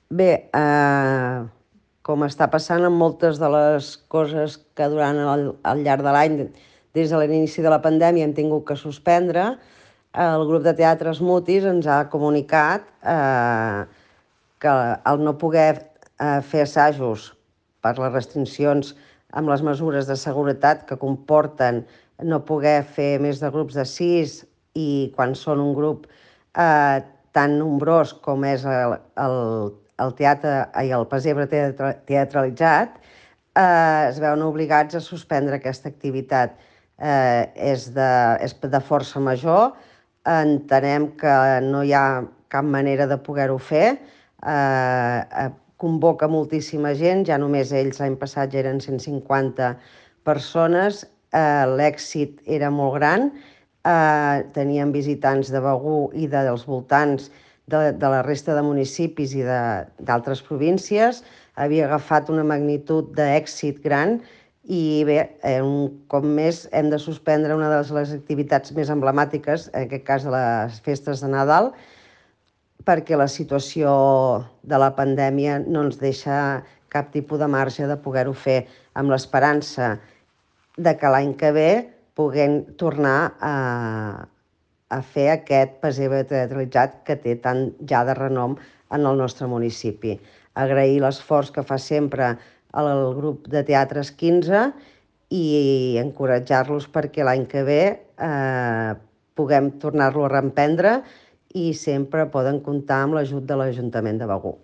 Bé, com està passant amb moltes de les coses que durant al llarg de l'any, des de l'inici de la pandèmia, hem tingut que suspendre, el grup de teatres Mutis ens ha comunicat que al no poder fer assajos per les restriccions amb les mesures de seguretat que comporten no poder fer més de grups de 6 i quan són un grup tan nombrós com és el teatre i el pessebre teatralitzat, es veuen obligats a suspendre aquesta activitat. És de força major, entenem que no hi ha cap manera de poder-ho fer, convoca moltíssima gent, ja només ells l'any passat ja eren 150 persones, l'èxit era molt gran, teníem visitants de Begur i dels voltants de la resta de municipis i d'altres províncies, havia agafat una magnitud d'èxit gran i bé, un cop més hem de suspendre una de les activitats més emblemàtiques, en aquest cas de les festes de Nadal, perquè la situació de la pandèmia no ens deixa cap tipus de marge de poder-ho fer, amb l'esperança de que l'any que ve puguem tornar a fer aquest pessebre teatralitzat que té tant ja de renom en el nostre municipi. Agrair l'esforç que fa sempre el grup de Teatres 15 i encoratjar-los perquè l'any que ve puguem tornar-lo a reemprendre i sempre poden comptar amb l'ajut de l'Ajuntament de Begur.